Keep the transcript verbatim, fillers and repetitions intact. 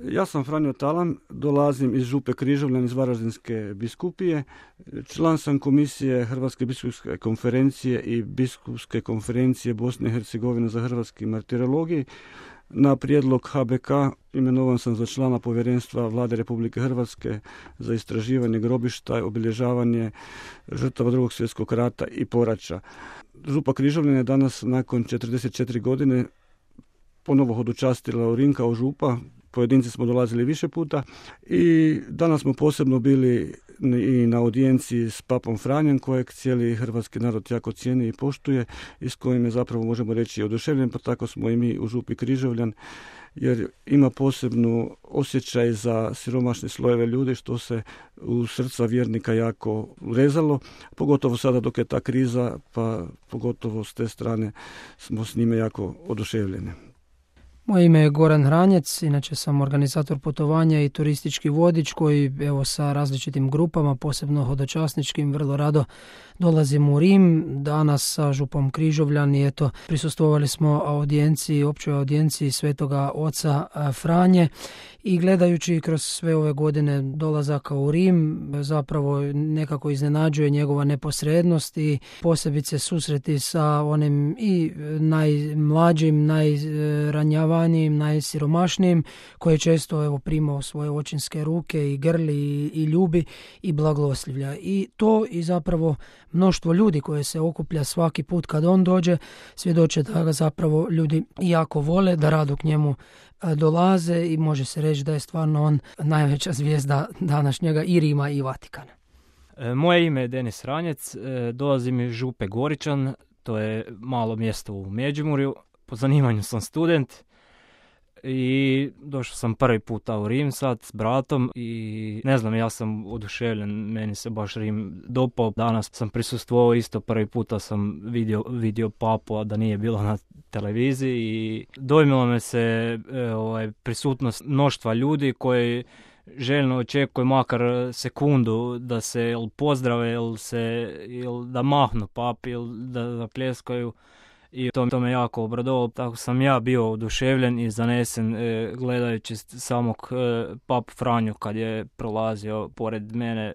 Ja sam Franjo Talan, dolazim iz Župe Križevljan iz Varaždinske biskupije. Član sam komisije Hrvatske biskupske konferencije i biskupske konferencije Bosne i Hercegovine za hrvatski martirologij. Na prijedlog H B K imenovan sam za člana povjerenstva Vlade Republike Hrvatske za istraživanje grobišta i obilježavanje žrtava Drugog svjetskog rata i poraća. Župa Križevljan je danas nakon četrdeset četiri godine ponovo hodočastila Urin kao župa. Pojedinci smo dolazili više puta i danas smo posebno bili i na audijenciji s papom Franjem, kojeg cijeli hrvatski narod jako cijeni i poštuje i s kojim je zapravo, možemo reći, oduševljen, pa tako smo i mi u Župi Križevljan, jer ima posebnu osjećaj za siromašne slojeve ljudi, što se u srca vjernika jako urezalo, pogotovo sada dok je ta kriza, pa pogotovo s te strane smo s njime jako oduševljeni. Moje ime je Goran Hranjec, inače sam organizator putovanja i turistički vodič koji evo sa različitim grupama, posebno hodočasničkim, vrlo rado dolazim u Rim. Danas sa Župom Križevljan i eto prisustvovali smo audijenciji, općoj audijenciji Svetoga oca Franje i gledajući kroz sve ove godine dolazaka u Rim zapravo nekako iznenađuje njegova neposrednost i posebice susreti sa onim i najmlađim, najranjavanijim, najsiromašnijim koje često evo prima u svoje očinske ruke i grli i, i ljubi i blagoslivlja. I to i zapravo mnoštvo ljudi koje se okuplja svaki put kad on dođe svjedoče da ga zapravo ljudi jako vole, da rado k njemu dolaze i može se reći da je stvarno on najveća zvijezda današnjega i Rima i Vatikana. Moje ime je Denis Hranjec, dolazim iz Župe Goričan, to je malo mjesto u Međimurju. Po zanimanju sam student i došao sam prvi puta u Rim sad s bratom i ne znam, ja sam oduševljen, meni se baš Rim dopao. Danas sam prisustvovao isto, prvi puta sam vidio, vidio papu, a da nije bilo na televiziji i dojmilo me se e, ovaj, prisutnost mnoštva ljudi koji željno očekuju makar sekundu da se ili pozdrave ili, se, ili da mahnu papi ili da zapljeskaju. I to, to me jako obradovalo, tako sam ja bio oduševljen i zanesen e, gledajući samog e, papu Franju kad je prolazio pored mene